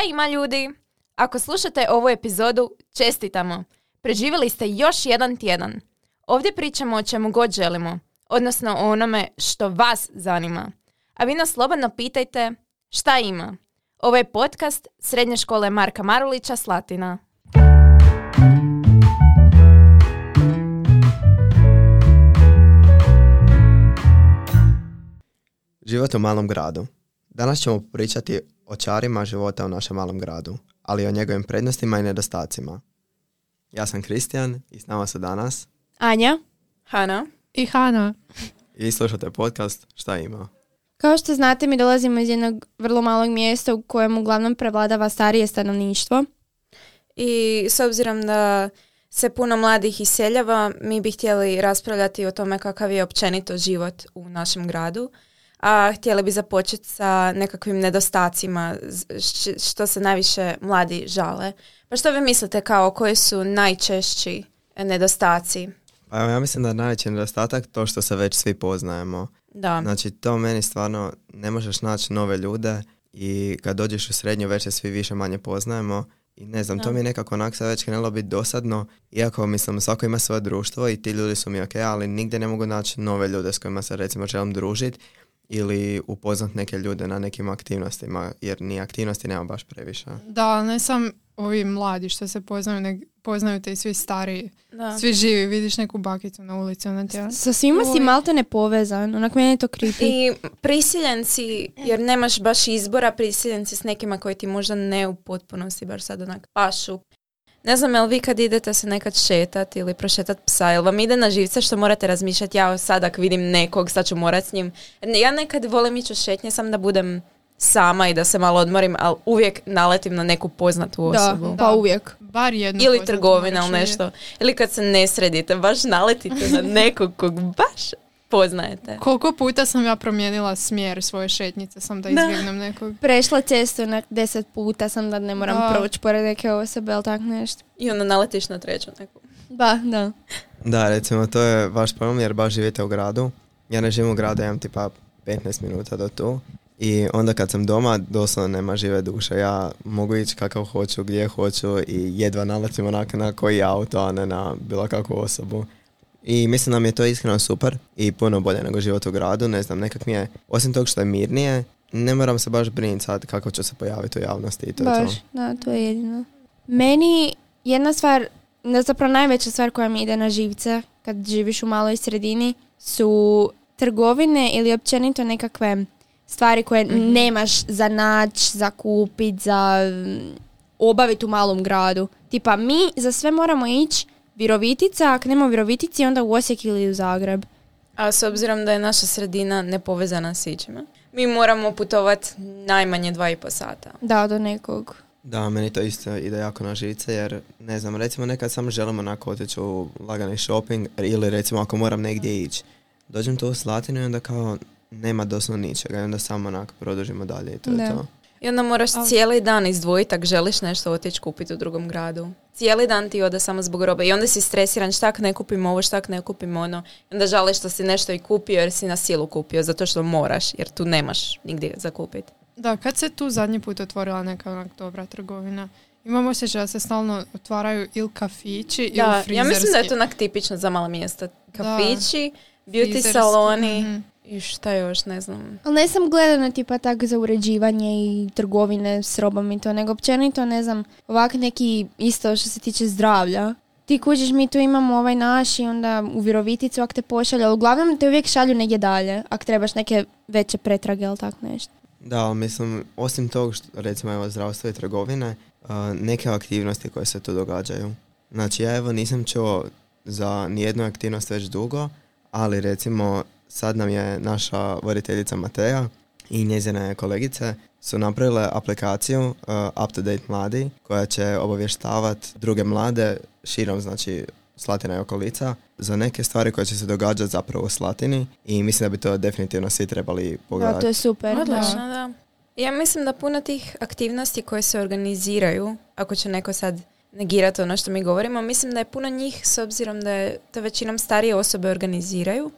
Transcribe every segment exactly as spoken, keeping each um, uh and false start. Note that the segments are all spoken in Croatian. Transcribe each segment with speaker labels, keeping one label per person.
Speaker 1: ima ljudi? Ako slušate ovu epizodu, čestitamo. Preživjeli ste još jedan tjedan. Ovdje pričamo o čemu god želimo, odnosno o onome što vas zanima. A vi nas slobodno pitajte šta ima. Ovo je podcast Srednje škole Marka Marulića Slatina.
Speaker 2: Život u malom gradu. Danas ćemo pričati o čarima života u našem malom gradu, ali i o njegovim prednostima i nedostacima. Ja sam Kristijan i s nama su danas
Speaker 3: Anja,
Speaker 1: Hana
Speaker 3: i Hana.
Speaker 2: I slušate podcast Šta ima?
Speaker 3: Kao što znate, mi dolazimo iz jednog vrlo malog mjesta u kojem uglavnom prevladava starije stanovništvo.
Speaker 1: I s obzirom da se puno mladih iseljava, mi bi htjeli raspravljati o tome kakav je općenito život u našem gradu. A htjeli bi započeti sa nekakvim nedostacima što se najviše mladi žale. Pa što vi mislite kao koji su najčešći nedostaci?
Speaker 2: Pa evo, ja mislim da je najveći nedostatak to što se već svi poznajemo.
Speaker 1: Da.
Speaker 2: Znači to meni stvarno ne možeš naći nove ljude i kad dođeš u srednju već se svi više manje poznajemo. I ne znam, da. To mi je nekako onak sad već krenulo biti dosadno, iako mislim svako ima svoje društvo i ti ljudi su mi ok, ali nigdje ne mogu naći nove ljude s kojima se recimo želim družiti ili upoznat neke ljude na nekim aktivnostima, jer ni aktivnosti nema baš previše.
Speaker 4: Da, ne sam ovi mladi što se poznaju, ne, poznaju te i svi stariji,
Speaker 1: da.
Speaker 4: Svi živi, vidiš neku bakicu na ulici. Ona tjela.
Speaker 3: Sa svima si malto ne povezan, onak meni je to creepy.
Speaker 1: I prisiljenci, jer nemaš baš izbora, prisiljenci s nekima koji ti možda ne u potpunosti baš sad onak pašu. Ne znam, jel vi kad idete se nekad šetati ili prošetati psa, jel vam ide na živce što morate razmišljati, ja sad ako vidim nekog, sad ću morat s njim. Ja nekad volim ići u šetnje sam da budem sama i da se malo odmorim, ali uvijek naletim na neku poznatu osobu.
Speaker 3: Da, pa uvijek.
Speaker 4: Bar jednu
Speaker 1: ili trgovina ili nešto.
Speaker 4: Je.
Speaker 1: Ili kad se ne sredite, baš naletite na nekog kog baš poznajete.
Speaker 4: Koliko puta sam ja promijenila smjer svoje šetnjice sam da izbjegnem nekog.
Speaker 3: Prešla cestu na deset puta sam da ne moram da. proći pored neke osobe ili tak nešto.
Speaker 1: I onda naletiš na treću neku.
Speaker 3: Da, da.
Speaker 2: Da, recimo to je vaš problem jer baš živite u gradu. Ja ne živim u gradu, imam tipa petnaest minuta do tu. I onda kad sam doma, doslovno nema žive duše. Ja mogu ići kakav hoću, gdje hoću i jedva naletim onak na koji auto, a ne na bilo kakvu osobu. I mislim da mi je to iskreno super i puno bolje nego život u gradu. Ne znam, nekak mi je, osim tog što je mirnije, ne moram se baš brinuti sad kako ću se pojaviti u javnosti i to
Speaker 3: baš,
Speaker 2: je to.
Speaker 3: Da, to je jedino. Meni jedna stvar, zapravo najveća stvar koja mi ide na živce kad živiš u maloj sredini su trgovine ili općenito nekakve stvari koje mm-hmm. nemaš za naći, za kupiti, za obaviti u malom gradu. Tipa mi za sve moramo ići Virovitica, ako nema u Virovitici, onda u Osijek ili u Zagreb.
Speaker 1: A s obzirom da je naša sredina nepovezana s ičima, mi moramo putovati najmanje dva i po sata.
Speaker 3: Da, do nekog.
Speaker 2: Da, meni to isto ide jako na žice, jer ne znam, recimo nekad samo želimo onako otići u lagani shopping ili recimo ako moram negdje ići. Dođem tu u Slatinu i onda kao nema doslovno ničega i onda samo onako produžimo dalje i to
Speaker 3: da.
Speaker 2: je to.
Speaker 1: I onda moraš oh. cijeli dan izdvojiti ako želiš nešto otići kupiti u drugom gradu. Cijeli dan ti ode samo zbog robe i onda si stresiran šta ako ne kupim ovo, šta ako ne kupim ono. I onda žališ što si nešto i kupio jer si na silu kupio zato što moraš jer tu nemaš nigdje za kupiti.
Speaker 4: Da, kad se tu zadnji put otvorila neka onak dobra trgovina, imam osjećaj da se stalno otvaraju ili kafići ili
Speaker 1: da,
Speaker 4: frizerski.
Speaker 1: Ja mislim da je to onak tipično za mala mjesta. Kafići, da, beauty frizerski. Saloni. Mm-hmm. I šta još, ne znam.
Speaker 3: Ali ne sam gledana tipa tak za uređivanje i trgovine s robom i to, nego općenito, ne znam, ovak neki isto što se tiče zdravlja. Ti kuđiš, mi tu imamo ovaj naš i onda u Viroviticu ako te pošalju, ali uglavnom te uvijek šalju negdje dalje, ako trebaš neke veće pretrage ili tako nešto.
Speaker 2: Da, mislim, osim tog što, recimo, evo, zdravstvo i trgovine, uh, neke aktivnosti koje se tu događaju. Znači, ja evo nisam čuo za nijednu aktivnost već dugo, ali recimo sad nam je naša voditeljica Mateja i njezine kolegice su napravile aplikaciju uh, Up to Date Mladi koja će obavještavati druge mlade širom, znači Slatina i okolica, za neke stvari koje će se događati zapravo u Slatini i mislim da bi to definitivno svi trebali pogledati.
Speaker 3: Da, to je super.
Speaker 1: Odlično, da. da. Ja mislim da puno tih aktivnosti koje se organiziraju, ako će neko sad negirati ono što mi govorimo, mislim da je puno njih, s obzirom da je to većinom starije osobe organiziraju,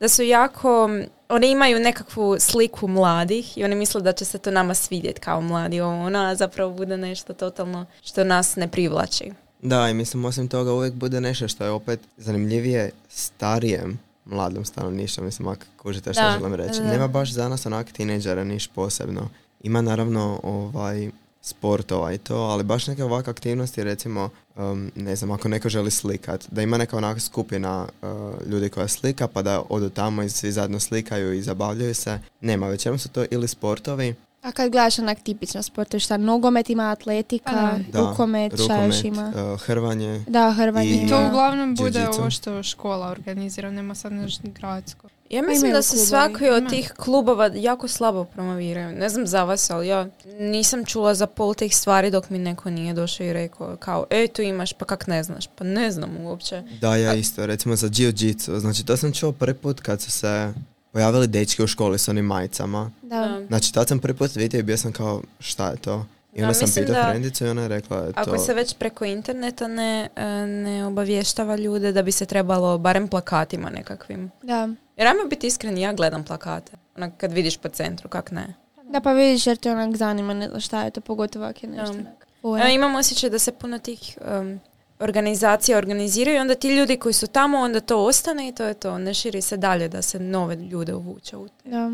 Speaker 1: da su jako oni imaju nekakvu sliku mladih i oni misle da će se to nama svidjeti kao mladi, ovo, ono, a zapravo bude nešto totalno što nas ne privlači.
Speaker 2: Da, i mislim, osim toga uvijek bude nešto što je opet zanimljivije starijem mladom stanovništvu, mislim, ako kužite što
Speaker 1: Da,
Speaker 2: želim reći.
Speaker 1: da.
Speaker 2: Nema baš za nas onak tineđera niš posebno. Ima naravno ovaj sportova i to, ali baš neke ovakve aktivnosti, recimo, um, ne znam, ako neko želi slikat, da ima neka onaka skupina uh, ljudi koja slika, pa da odu tamo i svi zajedno slikaju i zabavljaju se. Nema, većinom su to ili sportovi.
Speaker 3: A kad gledaš onak tipično sportove, šta, nogomet ima, atletika,
Speaker 4: Pa
Speaker 2: Da,
Speaker 3: rukomet, šta još
Speaker 2: rukomet,
Speaker 3: ima?
Speaker 2: uh, hrvanje.
Speaker 3: Da, hrvanje
Speaker 2: I-
Speaker 3: ima.
Speaker 4: To uglavnom bude
Speaker 2: Jiu-jitsu.
Speaker 4: ovo što škola organizira, nema sad nešto gradsko.
Speaker 1: Ja
Speaker 3: Pa
Speaker 1: mislim
Speaker 3: imaju
Speaker 1: da se
Speaker 3: klubovi.
Speaker 1: svaki od
Speaker 4: Ima.
Speaker 1: tih klubova jako slabo promoviraju. Ne znam za vas, ali ja nisam čula za pol tih stvari dok mi neko nije došao i rekao kao, e, tu imaš, pa kak ne znaš? Pa ne znam uopće.
Speaker 2: Da, ja isto, recimo za jiu-jitsu. Znači, to sam čuo prvi put kad su se pojavili dečki u školi s onim majicama.
Speaker 3: Da.
Speaker 2: Znači, tad sam prvi put vidio i bio sam kao, šta je to? I onda
Speaker 1: Da,
Speaker 2: sam
Speaker 1: mislim
Speaker 2: pitao
Speaker 1: da
Speaker 2: frendicu i ona je rekla, je to...
Speaker 1: Ako se već preko interneta ne, e, ne obavještava ljude, da bi se trebalo barem plakatima nekakvim.
Speaker 3: Da.
Speaker 1: Jer ajmo biti iskreni, ja gledam plakate. Onak kad vidiš po centru, kak ne.
Speaker 3: Da, pa vidiš jer te onak zanima, ne znam šta je to, pogotovo ako je nešto.
Speaker 1: Da.
Speaker 3: onak fora.
Speaker 1: Evo, imam osjećaj da se puno tih um, organizacija organiziraju i onda ti ljudi koji su tamo, onda to ostane i to je to. Ne širi se dalje da se nove ljude uvuče u te
Speaker 3: Da.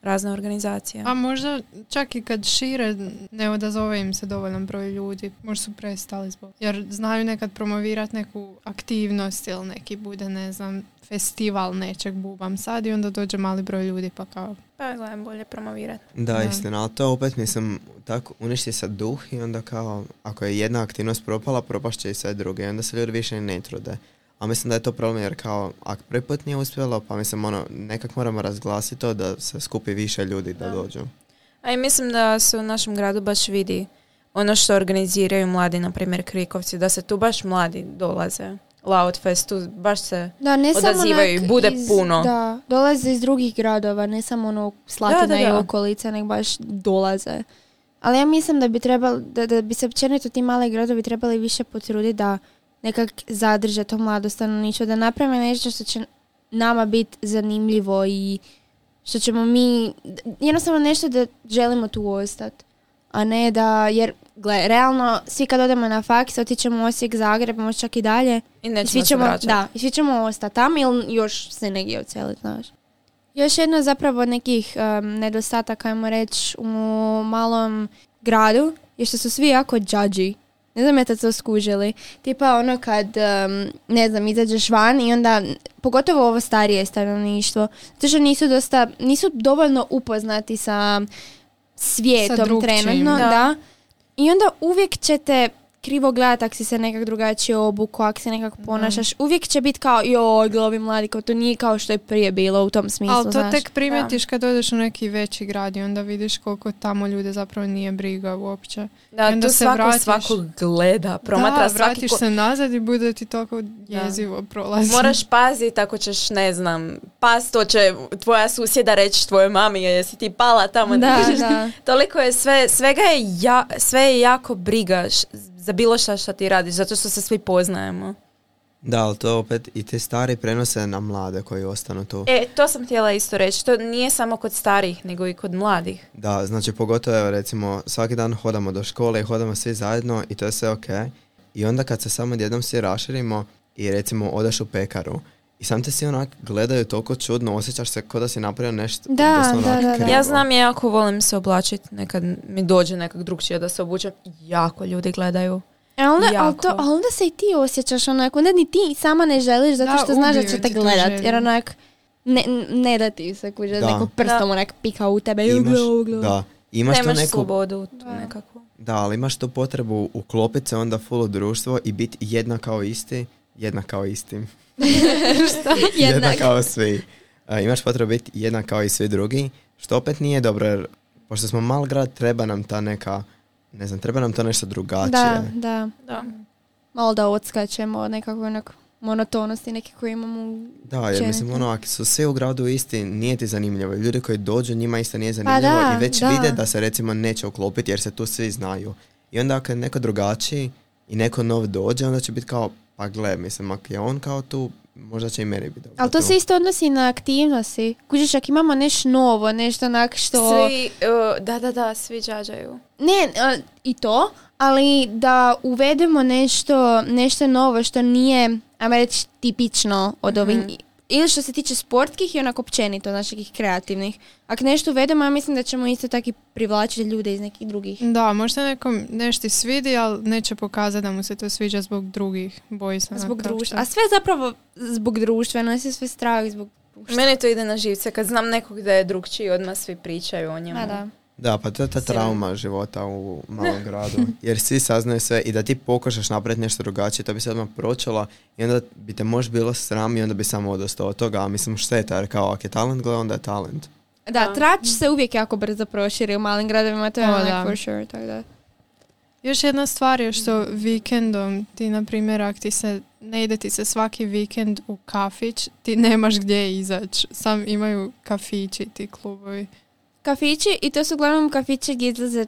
Speaker 1: razne organizacije.
Speaker 4: A možda čak i kad šire ne odazove im se dovoljan broj ljudi, možda su prestali zbog. Jer znaju nekad promovirati neku aktivnost ili neki bude, ne znam, festival nečeg bubam sad i onda dođe mali broj ljudi pa kao...
Speaker 1: Pa gledam bolje promovirati.
Speaker 2: Da,
Speaker 4: Da.
Speaker 2: istina, ali to opet, mislim, tako uništi se duh i onda kao, ako je jedna aktivnost propala, propašće i sve druge i onda se ljudi više ne trude. A mislim da je to problem jer kao, ako prvi put nije uspjelo, pa mislim, ono, nekak moramo razglasiti to da se skupi više ljudi da,
Speaker 1: Da.
Speaker 2: dođu.
Speaker 1: A i mislim da se u našem gradu baš vidi ono što organiziraju mladi, na primjer Krikovci, da se tu baš mladi dolaze. Loudfest, tu baš se...
Speaker 3: Da, ne samo
Speaker 1: odazivaju
Speaker 3: onak
Speaker 1: i bude
Speaker 3: iz-
Speaker 1: puno.
Speaker 3: Da, dolaze iz drugih gradova, ne samo ono Slatina
Speaker 1: Da, da,
Speaker 3: i
Speaker 1: da.
Speaker 3: okolice, nego baš dolaze. Ali ja mislim da bi trebalo, da, da bi se općenito ti mali gradovi trebali više potruditi da nekak zadrže to mlado stanovništvo, da naprave nešto što će nama biti zanimljivo i što ćemo mi, jednostavno nešto da želimo tu ostati. A ne da, jer gle, realno svi kad odemo na faks, otićemo u Osijek, Zagreb, možda čak i dalje.
Speaker 1: I
Speaker 3: I
Speaker 1: nećemo
Speaker 3: svi
Speaker 1: se
Speaker 3: ćemo,
Speaker 1: vraćati.
Speaker 3: da, i svi ćemo ostati tamo ili još se negdje oceliti, znaš. Još jedna zapravo od nekih um, nedostataka, ajmo reći, u malom gradu je što su svi jako judgy. Ne znam jeste to skužili. Tipa ono kad, um, ne znam, izađeš van i onda, pogotovo ovo starije stanovništvo, zato što nisu dosta, nisu dovoljno upoznati sa svijetom
Speaker 4: Sa drugčijim.
Speaker 3: trenutno,
Speaker 1: Da.
Speaker 3: da. I onda uvijek ćete krivo gledati ako si se nekak drugačije obuku, ako se nekak ponašaš. Uvijek će biti kao, joj, gle, ovi mladi, kao to nije kao što je prije bilo u tom smislu,
Speaker 4: Ali to
Speaker 3: znaš.
Speaker 4: tek primjetiš kad odeš u neki veći grad i onda vidiš koliko tamo ljude zapravo nije briga uopće.
Speaker 1: Da,
Speaker 4: I onda
Speaker 1: tu
Speaker 4: se
Speaker 1: svako
Speaker 4: vratiš-
Speaker 1: svakog gleda, promatra
Speaker 4: da,
Speaker 1: svaki
Speaker 4: vratiš
Speaker 1: ko-
Speaker 4: se nazad i bude ti toliko jezivo prolazi.
Speaker 1: Moraš paziti ako ćeš, ne znam, pas, to će tvoja susjeda reći tvojoj mami, jesi ti pala tamo.
Speaker 3: Da,
Speaker 1: Kužiš?
Speaker 3: da.
Speaker 1: Toliko je sve, svega je, ja, sve je jako briga š- za bilo šta što ti radiš, zato što se svi poznajemo.
Speaker 2: Da, ali to opet i te stari prenose na mlade koji ostanu tu.
Speaker 1: E, to sam htjela isto reći, to nije samo kod starih, nego i kod mladih.
Speaker 2: Da, znači pogotovo evo, recimo svaki dan hodamo do škole i hodamo svi zajedno i to je sve ok. I onda kad se samo jednom svi raširimo i recimo odeš u pekaru i sam te svi onak gledaju toliko čudno, osjećaš se kao da si napravio nešto
Speaker 3: Da,
Speaker 2: doslovno
Speaker 3: da,
Speaker 2: onak
Speaker 3: da, da.
Speaker 2: krivo.
Speaker 1: Ja znam, ja jako volim se oblačiti, nekad mi dođe nekak drugčije da se obučem, jako ljudi gledaju.
Speaker 3: E, onda, ali,
Speaker 1: Jako.
Speaker 3: to, ali onda se i ti osjećaš onako, onda ni ti sama ne želiš zato
Speaker 4: Da,
Speaker 3: što znaš da
Speaker 4: ubiju
Speaker 3: će te
Speaker 4: ti tu
Speaker 3: gledat,
Speaker 4: želju.
Speaker 3: jer onak ne, ne da ti se kuže,
Speaker 2: Da.
Speaker 3: neko prstom
Speaker 1: Da.
Speaker 3: onak pika u tebe.
Speaker 2: Imaš,
Speaker 3: Gle, gle.
Speaker 2: da, imaš tu
Speaker 1: Nemaš
Speaker 2: neku,
Speaker 1: slobodu tu
Speaker 3: Da.
Speaker 1: nekakvu.
Speaker 2: da, ali imaš tu potrebu uklopiti se onda full u društvo i biti jedna kao isti, jedna kao istim. jedna
Speaker 3: Jednak.
Speaker 2: kao svi. E, imaš potrebu biti jedna kao i svi drugi, što opet nije dobro, jer pošto smo mal grad, treba nam ta neka, ne znam, treba nam to nešto drugačije.
Speaker 3: Da, da.
Speaker 1: Da.
Speaker 3: Malo da odskačemo od nekakve onak monotonosti neke koje imamo u
Speaker 2: Da, jer
Speaker 3: općenito.
Speaker 2: mislim, ono, ako su svi u gradu isti, nije ti zanimljivo. Ljudi koji dođu, njima isto nije zanimljivo
Speaker 3: da,
Speaker 2: i već
Speaker 3: da.
Speaker 2: vide da se recimo neće uklopiti jer se tu svi znaju. I onda ako je neko drugačiji i neko nov dođe, onda će biti kao, pa gle, mislim, ako je on kao tu, možda će i meni biti dobro.
Speaker 3: Ali to se isto odnosi na aktivnosti. Kužiš, ako imamo nešto novo, nešto onak što...
Speaker 1: Svi, uh, da, da, da, svi džađaju.
Speaker 3: Ne, uh, i to, ali da uvedemo nešto, nešto novo što nije, ajmo reći, tipično od ovih...
Speaker 1: Mhm.
Speaker 3: Ili što se tiče sportskih i onako općenito, naših kreativnih. Ako nešto uvedemo, ja mislim da ćemo isto tako i privlačiti ljude iz nekih drugih.
Speaker 4: Da, možda nekom nešto ti svidi, ali neće pokazati da mu se to sviđa zbog drugih. Boji se.
Speaker 3: Zbog
Speaker 4: onak kako
Speaker 3: društva.
Speaker 4: što-
Speaker 3: A sve zapravo zbog društva, nosi sve strah zbog društva.
Speaker 1: Meni to ide na živce. Kad znam nekog da je drugčiji, odmah svi pričaju o njemu.
Speaker 3: Ma da.
Speaker 2: Da, pa to je ta trauma života u malom gradu. Jer svi saznaju sve i da ti pokušaš napraviti nešto drugačije, to bi se odmah pročalo i onda bi te možda bilo sram i onda bi samo odostao od toga. A mislim šteta, jer kao ako je talent, gleda, onda je talent.
Speaker 3: Da,
Speaker 1: Da.
Speaker 3: trač se uvijek jako brzo proširi u malim gradovima, to je
Speaker 4: O,
Speaker 3: onak
Speaker 4: da.
Speaker 3: for sure, tako da.
Speaker 4: Još jedna stvar je što vikendom, ti na primjer, ako ti se, ne ide ti se svaki vikend u kafić, ti nemaš gdje izaći. Sam imaju kafići, ti klubovi.
Speaker 3: Kafići, i to su uglavnom kafići gdje izlaze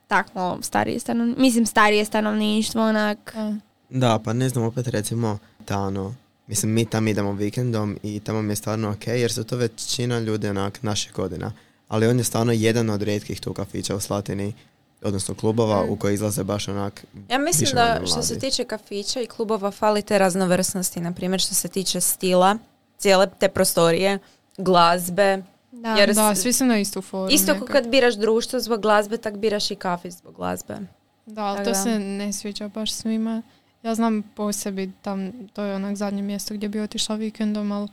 Speaker 3: tako starije stanovništvo, mislim starije stanovništvo, onak.
Speaker 4: Da.
Speaker 2: Da, pa ne znam, opet recimo Tano. Mislim, mi tam idemo vikendom i tamo mi je stvarno ok, jer su to većina ljudi onak naših godina. Ali on je stvarno jedan od rijetkih tu kafića u Slatini, odnosno klubova u koji izlaze baš onak
Speaker 1: Ja mislim
Speaker 2: više
Speaker 1: da
Speaker 2: manje
Speaker 1: što se
Speaker 2: mladi.
Speaker 1: tiče kafića i klubova fali te raznovrsnosti, na primjer što se tiče stila, cijele te prostorije, glazbe.
Speaker 3: Da.
Speaker 1: Jer
Speaker 4: Da,
Speaker 1: s-
Speaker 4: svi su na istu foru.
Speaker 1: Isto
Speaker 4: nekak.
Speaker 1: kao kad biraš društvo zbog glazbe, tak biraš i kafić zbog glazbe.
Speaker 4: Da, ali
Speaker 1: Tak
Speaker 4: to
Speaker 1: da.
Speaker 4: se ne sviđa baš svima. Ja znam po sebi, tam, to je onak zadnje mjesto gdje bi otišla vikendom, ali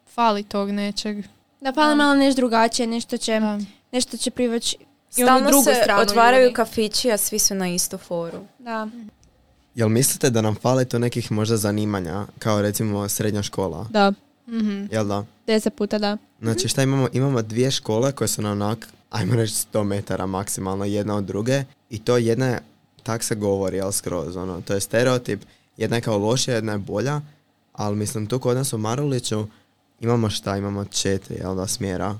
Speaker 4: fali tog nečeg.
Speaker 3: Da fali malo nešto drugačije, nešto će,
Speaker 4: Da.
Speaker 3: nešto će privući i onu
Speaker 1: Stalno
Speaker 3: drugu
Speaker 1: se
Speaker 3: stranu
Speaker 1: otvaraju
Speaker 3: ljudi.
Speaker 1: kafići, a svi su na istu foru.
Speaker 3: Da.
Speaker 2: Jel mislite da nam fali to nekih možda zanimanja, kao recimo srednja škola?
Speaker 3: Da,
Speaker 4: Mhm.
Speaker 2: Jel da?
Speaker 3: deset puta da.
Speaker 2: Znači šta imamo? Imamo dvije škole koje su na onak, ajmo reći sto metara maksimalno jedna od druge i to jedna je, tak se govori, jel skroz, ono, to je stereotip, jedna je kao lošija, jedna je bolja, ali mislim tu kod nas u Maruliću imamo šta, imamo četiri, jel da, smjera,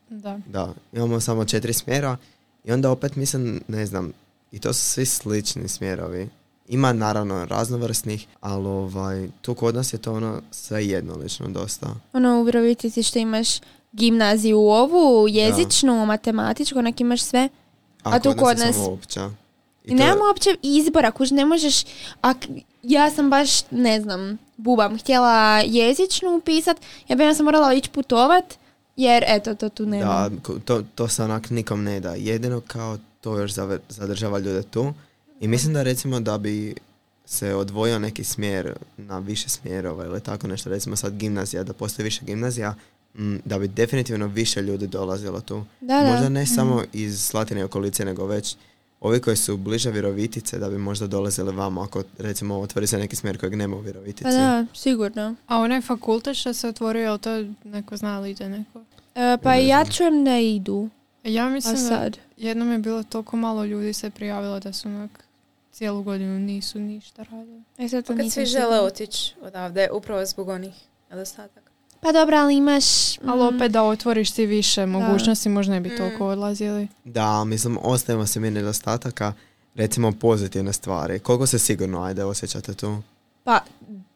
Speaker 4: Da.
Speaker 2: da, imamo samo četiri smjera i onda opet mislim, ne znam, i to su svi slični smjerovi. Ima naravno raznovrsnih, ali ovaj, tu kod nas je to ono sve jednolično dosta.
Speaker 3: Ono u Virovitici što imaš gimnaziju ovu, jezičnu, matematičku, onak imaš sve. A tu
Speaker 2: kod
Speaker 3: kod
Speaker 2: je
Speaker 3: nas-
Speaker 2: samo opća. I
Speaker 3: I
Speaker 2: to-
Speaker 3: nemamo uopće izbora, kuž ne možeš, ak, ja sam baš, ne znam, bubam, htjela jezičnu upisat, ja bi ja sam morala ići putovat, jer eto, to tu nema.
Speaker 2: Da, ko- to, to se onak nikom ne da. Jedino kao to još zave- zadržava ljude tu. I mislim da recimo da bi se odvojio neki smjer na više smjerova ili tako nešto, recimo sad gimnazija, da postoji više gimnazija, m, da bi definitivno više ljudi dolazilo tu.
Speaker 3: Da, da.
Speaker 2: Možda ne samo iz Slatine i okolice, nego već ovi koji su bliže Virovitice, da bi možda dolazili vamo ako recimo otvori se neki smjer kojeg nema u Virovitici.
Speaker 3: Pa da, sigurno.
Speaker 4: A onaj fakultet što se otvorio, je li to neko zna li ide neko?
Speaker 3: E, pa
Speaker 2: Ne
Speaker 3: ja
Speaker 2: znam.
Speaker 3: čujem da idu,
Speaker 4: Ja
Speaker 3: a
Speaker 4: mislim da
Speaker 3: sad.
Speaker 4: jednom je bilo toliko malo ljudi se prijavilo da su onak cijelu godinu nisu ništa radili.
Speaker 3: E, sad to
Speaker 1: Pa kad
Speaker 3: nisam
Speaker 1: svi žele
Speaker 3: sigurna.
Speaker 1: otići odavde, upravo zbog onih nedostataka.
Speaker 3: Pa dobro, ali imaš...
Speaker 4: Ali
Speaker 3: mm,
Speaker 4: opet da otvoriš ti više mogućnosti, možda ne bi
Speaker 1: Mm.
Speaker 4: toliko odlazili.
Speaker 2: Da, mislim, ostajemo se mi nedostataka, recimo pozitivne stvari. Koliko se sigurno, ajde, osjećate tu?
Speaker 3: Pa,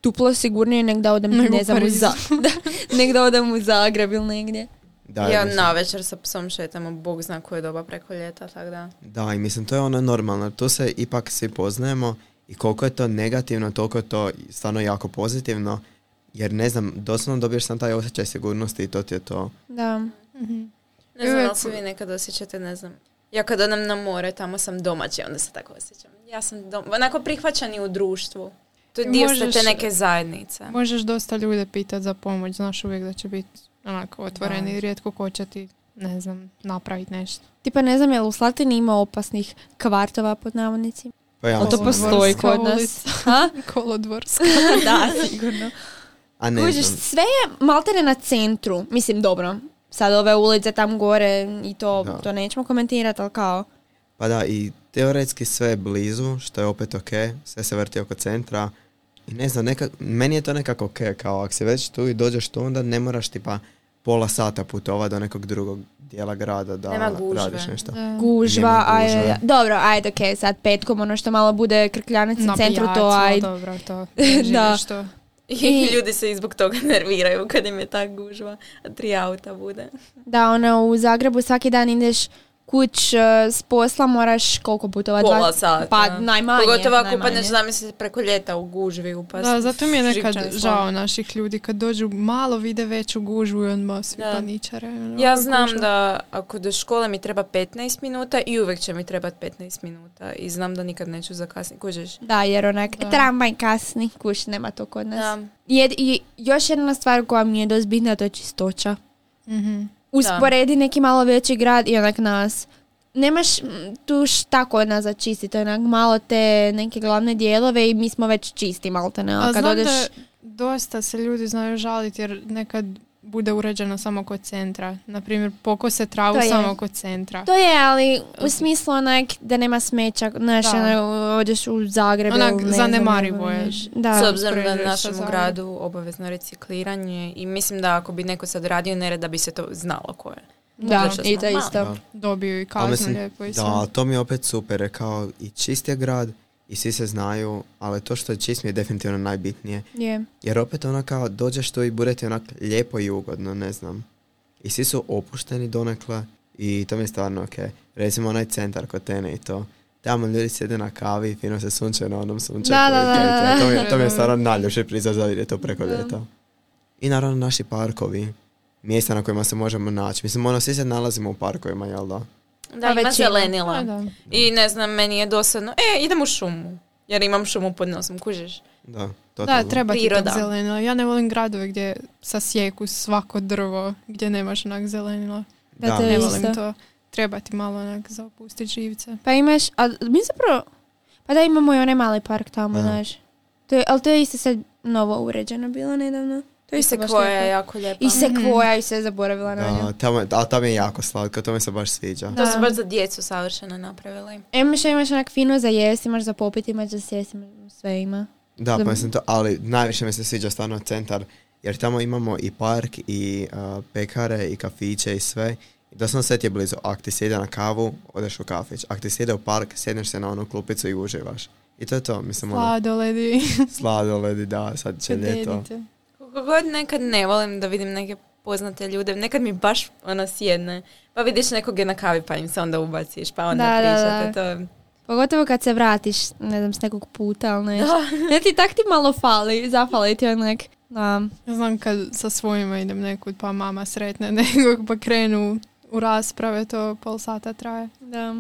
Speaker 3: duplo sigurnije nek da odem,
Speaker 4: Nego
Speaker 3: ne znam, u
Speaker 4: Pariz.
Speaker 3: za, da, nek da odem u Zagreb ili negdje.
Speaker 2: Da,
Speaker 1: Ja
Speaker 2: mislim-
Speaker 1: na večer sa psom šetamo, Bog zna koje doba preko ljeta, tako da.
Speaker 2: Da, i mislim, to je ono normalno. Tu se ipak svi poznajemo i koliko je to negativno, toliko je to stvarno jako pozitivno. Jer ne znam, doslovno dobiješ sam taj osjećaj sigurnosti i to ti je to.
Speaker 3: Da.
Speaker 4: Mhm.
Speaker 1: Ne znam,
Speaker 4: Uvijek-
Speaker 1: ali se vi nekad osjećate, ne znam. Ja kad odem na more, tamo sam domaći, onda se tako osjećam. Ja sam dom... onako prihvaćani u društvu. To je
Speaker 4: I
Speaker 1: dio ste
Speaker 4: možeš-
Speaker 1: te neke zajednice.
Speaker 4: Možeš dosta ljude pitati za pomoć, znaš uvijek da će biti onako otvoreni,
Speaker 1: Da.
Speaker 4: rijetko ko će ti, ne znam, napraviti nešto.
Speaker 3: Tipa ne znam, jel u Slatini ima opasnih kvartova pod navodnicima?
Speaker 2: Pa ja
Speaker 3: Ali to
Speaker 2: mislim,
Speaker 3: postoji
Speaker 4: Kolodvorska
Speaker 3: kod nas.
Speaker 4: ulica.
Speaker 3: Ha?
Speaker 4: Kolodvorska.
Speaker 3: Da, sigurno.
Speaker 2: A ne
Speaker 3: Kužiš,
Speaker 2: znam.
Speaker 3: sve je maltene na centru. Mislim, dobro, sad ove ulice tam gore i to,
Speaker 2: Da.
Speaker 3: to nećemo komentirati, ali kao...
Speaker 2: Pa da, i teoretski sve je blizu, što je opet ok, sve se vrti oko centra. I ne znam, neka, meni je to nekako ok, kao ako si već tu i dođeš tu, onda ne moraš tipa pola sata putovati do nekog drugog dijela grada da
Speaker 1: Nema gužve.
Speaker 2: radiš nešto.
Speaker 4: Da.
Speaker 3: Gužva,
Speaker 2: Nema
Speaker 3: aj,
Speaker 2: gužve.
Speaker 3: dobro, ajde, ok, sad petkom ono što malo bude krkljanac na centru, to
Speaker 4: Nabijač,
Speaker 3: ajde.
Speaker 4: dobro, to.
Speaker 3: Da.
Speaker 4: Živiš to.
Speaker 1: I ljudi se i zbog toga nerviraju kad im je tak gužva, a tri auta bude.
Speaker 3: Da, ono, u Zagrebu svaki dan ideš kuć uh, s posla, moraš koliko putova?
Speaker 1: Pola
Speaker 3: Dva...
Speaker 1: sata.
Speaker 3: Pa najmanje.
Speaker 1: Pogotovo ako
Speaker 3: najmanje.
Speaker 1: upadneš, zamisli, preko ljeta u gužvi upast.
Speaker 4: Da, zato mi je nekad
Speaker 1: Živčani smo.
Speaker 4: žao naših ljudi kad dođu malo vide veću gužvu i onda svi
Speaker 1: Da.
Speaker 4: paničare. Ono,
Speaker 1: Ja znam
Speaker 4: gužva.
Speaker 1: da ako do škole mi treba petnaest minuta i uvijek će mi trebati petnaest minuta i znam da nikad neću zakasniti. Kužiš?
Speaker 3: Da, jer onak,
Speaker 4: Da.
Speaker 3: tramvaj kasni, kuš, nema to kod nas.
Speaker 1: Da.
Speaker 3: Jed, I još jedna stvar koja mi je dosta bitna, to je čistoća.
Speaker 4: Mhm.
Speaker 3: Usporedi neki malo veći grad i onak nas. Nemaš mm, tu šta kod nas za čistiti, onak malo te neke glavne dijelove i mi smo već čisti malte ne.
Speaker 4: A
Speaker 3: Kad
Speaker 4: znam
Speaker 3: odeš...
Speaker 4: da dosta se ljudi znaju žaliti jer nekad bude uređeno samo kod centra. Naprimjer, pokose travu
Speaker 3: To je.
Speaker 4: samo kod centra.
Speaker 3: To je, ali u smislu onak da nema smeća, znaš,
Speaker 4: Da.
Speaker 3: ono, odeš u Zagreb.
Speaker 4: Onak,
Speaker 3: ili ne
Speaker 4: zanemarivo
Speaker 3: znam,
Speaker 4: je.
Speaker 3: znaš. Da.
Speaker 1: S obzirom da je
Speaker 4: uspoređuješ
Speaker 1: u
Speaker 4: sa
Speaker 1: našem
Speaker 4: Zagrebom.
Speaker 1: gradu obavezno recikliranje i mislim da ako bi neko sad radio nered da bi se to znalo ko je.
Speaker 3: Da,
Speaker 1: Zato što
Speaker 3: i
Speaker 1: smo
Speaker 3: to
Speaker 1: mali.
Speaker 3: isto.
Speaker 2: Da.
Speaker 4: Dobiju i
Speaker 2: Ali
Speaker 4: kaznu
Speaker 2: mislim,
Speaker 4: lijepo i sve.
Speaker 2: da, ali to mi je opet super, je kao i čist je grad i svi se znaju, ali to što je čist mi je definitivno najbitnije.
Speaker 3: Je.
Speaker 2: Jer opet ono kao dođeš tu i bude ti onak lijepo i ugodno, ne znam. I svi su opušteni donekle i to mi je stvarno ok. Recimo onaj centar kod Tene i to. Tamo ljudi sjede na kavi i fino se sunče na onom sunčeku.
Speaker 3: Da, da,
Speaker 2: i to, i
Speaker 3: da,
Speaker 2: to. To mi,
Speaker 4: da.
Speaker 2: je- to mi je stvarno najljepši prizor za vidjeti to preko
Speaker 3: Da.
Speaker 2: ljeta. I naravno naši parkovi, mjesta na kojima se možemo naći. Mislim, ono, svi se nalazimo u parkovima, jel da?
Speaker 1: Da,
Speaker 3: Pa
Speaker 1: ima
Speaker 3: većina.
Speaker 1: zelenila.
Speaker 4: A, da.
Speaker 1: I ne znam, meni je dosadno, e, idem u šumu. Jer imam šumu pod nosom, kužiš?
Speaker 2: Da,
Speaker 4: Da,
Speaker 2: totalno.
Speaker 4: treba ti
Speaker 1: Priroda.
Speaker 4: tog zelenila. Ja ne volim gradove gdje sasjeku svako drvo, gdje nemaš onak zelenila.
Speaker 3: Da, to je
Speaker 4: Ne
Speaker 3: isto.
Speaker 4: volim to. Treba ti malo onak za opustiti živce.
Speaker 3: Pa imaš, a mi zapravo, pa da imamo i onaj mali park tamo,
Speaker 2: Da.
Speaker 3: znaš. To je, ali to je isto sad novo uređeno bilo nedavno. To je
Speaker 1: I
Speaker 3: isto baš
Speaker 1: sekvoja je
Speaker 3: lijepo.
Speaker 1: jako lijepa.
Speaker 3: I sekvoja i sve zaboravila na nju.
Speaker 2: Da, tamo, a tamo je jako slatko, to mi se baš sviđa.
Speaker 1: To su
Speaker 3: Da.
Speaker 1: baš za djecu savršeno napravili.
Speaker 3: Imaš, imaš onak fino za jesti, imaš za popiti, imaš za sjesti, imaš sve ima.
Speaker 2: Da,
Speaker 3: Da.
Speaker 2: pa mislim to, ali najviše mi se sviđa stvarno centar, jer tamo imamo i park, i uh, pekare, i kafiće, i sve. I doslovno sve ti je blizu. Ako ti se ide na kavu, odeš u kafić. Ako ti se ide u park, sjedneš se na onu klupicu i uživaš. I to je to, mislim, ono,
Speaker 4: Sladoledi.
Speaker 2: sladoledi, da, sad će ljeto.
Speaker 4: Dedite.
Speaker 1: Koliko god nekad ne volim da vidim neke poznate ljude, nekad mi baš ono sjedne. Pa vidiš nekog je na kavi pa im se onda ubaciš, pa onda
Speaker 3: Da, da,
Speaker 1: pričate.
Speaker 3: da.
Speaker 1: To...
Speaker 3: Pogotovo kad se vratiš, ne znam, s nekog puta, ali nešto. Ne ti tak ti malo fali, zafali ti onak. Da.
Speaker 4: Ja znam kad sa svojima idem nekud pa mama sretne nekog pa krenu u rasprave, to pol sata traje.
Speaker 3: Da.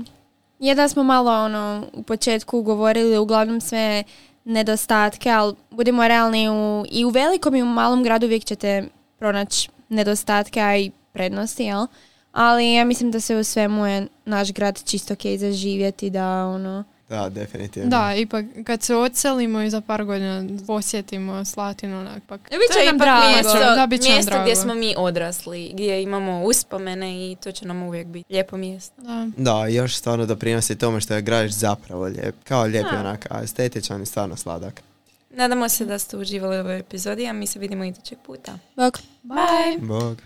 Speaker 3: Je da smo malo ono u početku govorili uglavnom sve nedostatke, ali budimo realni u, i u velikom i u malom gradu uvijek ćete pronaći nedostatke, a i prednosti, jel? Ali ja mislim da se u svemu je naš grad čisto ok za živjeti, da ono...
Speaker 2: Da, definitivno.
Speaker 4: Da, ipak kad se odselimo i za par godina posjetimo Slatinu, onak pak...
Speaker 3: Bit
Speaker 1: To
Speaker 3: će
Speaker 1: je
Speaker 3: nam
Speaker 1: ipak
Speaker 3: drago.
Speaker 1: mjesto,
Speaker 4: Da, bit će nam
Speaker 1: mjesto gdje
Speaker 4: drago.
Speaker 1: smo mi odrasli, gdje imamo uspomene i to će nam uvijek biti lijepo mjesto.
Speaker 4: Da.
Speaker 2: Da, još stvarno doprinosi tome što je grad zapravo lijep. Kao lijep je
Speaker 1: Da.
Speaker 2: onak, a estetičan i stvarno sladak.
Speaker 1: Nadamo se da ste uživali u ovoj epizodi, a mi se vidimo idućeg puta.
Speaker 3: Bok.
Speaker 1: Bye!
Speaker 2: Bog.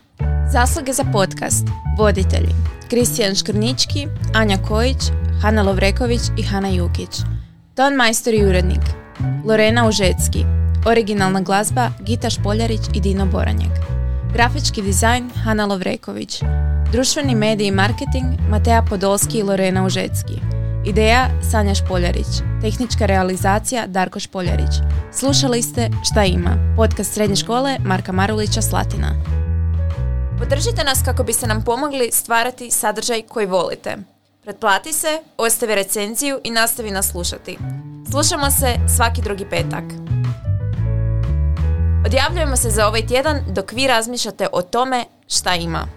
Speaker 1: Zasluge za podcast. Voditelji Kristijan Škrnički, Anja Kojić, Hana Lovreković i Hana Jukić. Ton majstor i urednik Lorena Užecki. Originalna glazba Gita Špoljarić i Dino Boranjek. Grafički dizajn Hana Lovreković. Društveni mediji i marketing Matea Podolski i Lorena Užecki. Ideja Sanja Špoljarić. Tehnička realizacija Darko Špoljarić. Slušali ste Šta ima? Podcast srednje škole Marka Marulića Slatina. Podržite nas kako biste nam pomogli stvarati sadržaj koji volite. Pretplati se, ostavi recenziju i nastavi nas slušati. Slušamo se svaki drugi petak. Odjavljujemo se za ovaj tjedan dok vi razmišljate o tome šta ima.